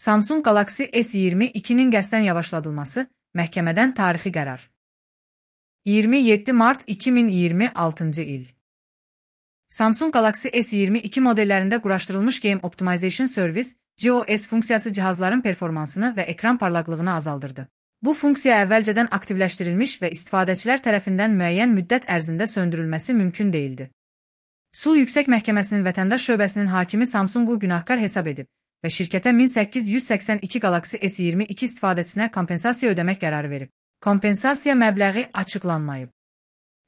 Samsung Galaxy S22-nin qəsdən yavaşladılması, məhkəmədən tarixi qərar. 27 mart 2026-cı il. Samsung Galaxy S22 modellərində quraşdırılmış Game Optimization Service, GOS funksiyası cihazların performansını və ekran parlaqlığını azaldırdı. Bu funksiya əvvəlcədən aktivləşdirilmiş və istifadəçilər tərəfindən müəyyən müddət ərzində söndürülməsi mümkün değildi. Sul Yüksək Məhkəməsinin vətəndaş şöbəsinin hakimi Samsungu günahkar hesab edib və şirkətə 1882 Galaxy S22 istifadəçisinə kompensasiya ödəmək qərarı verib. Kompensasiya məbləği açıqlanmayıb.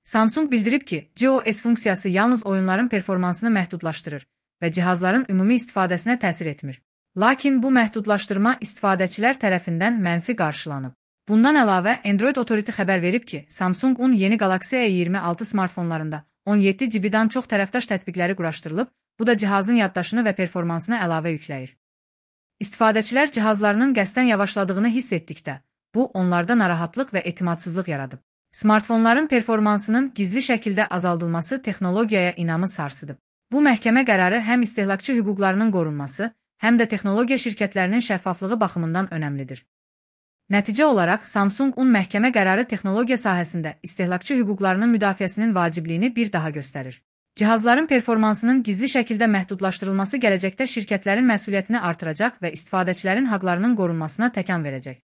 Samsung bildirib ki, GOS funksiyası yalnız oyunların performansını məhdudlaşdırır və cihazların ümumi istifadəsinə təsir etmir. Lakin bu məhdudlaşdırma istifadəçilər tərəfindən mənfi qarşılanıb. Bundan əlavə, Android Authority xəbər verib ki, Samsungun yeni Galaxy A26 smartfonlarında 17 GB-dan çox tərəfdaş tətbiqləri quraşdırılıb, bu da cihazın yaddaşını və performansını əlavə yükləyir. İstifadəçilər cihazlarının qəsdən yavaşladığını hiss etdikdə, bu onlarda narahatlıq və etimadsızlıq yaradıb. Smartfonların performansının gizli şəkildə azaldılması texnologiyaya inamı sarsıdıb. Bu məhkəmə qərarı həm istehlakçı hüquqlarının qorunması, həm də texnologiya şirkətlərinin şəffaflığı baxımından önəmlidir. Nəticə olaraq, Samsungun məhkəmə qərarı texnologiya sahəsində istehlakçı hüquqlarının müdafiəsinin vacibliyini bir daha göstərir. Cihazların performansının gizli şəkildə məhdudlaşdırılması gələcəkdə şirkətlərin məsuliyyətini artıracaq və istifadəçilərin haqlarının qorunmasına təkan verəcək.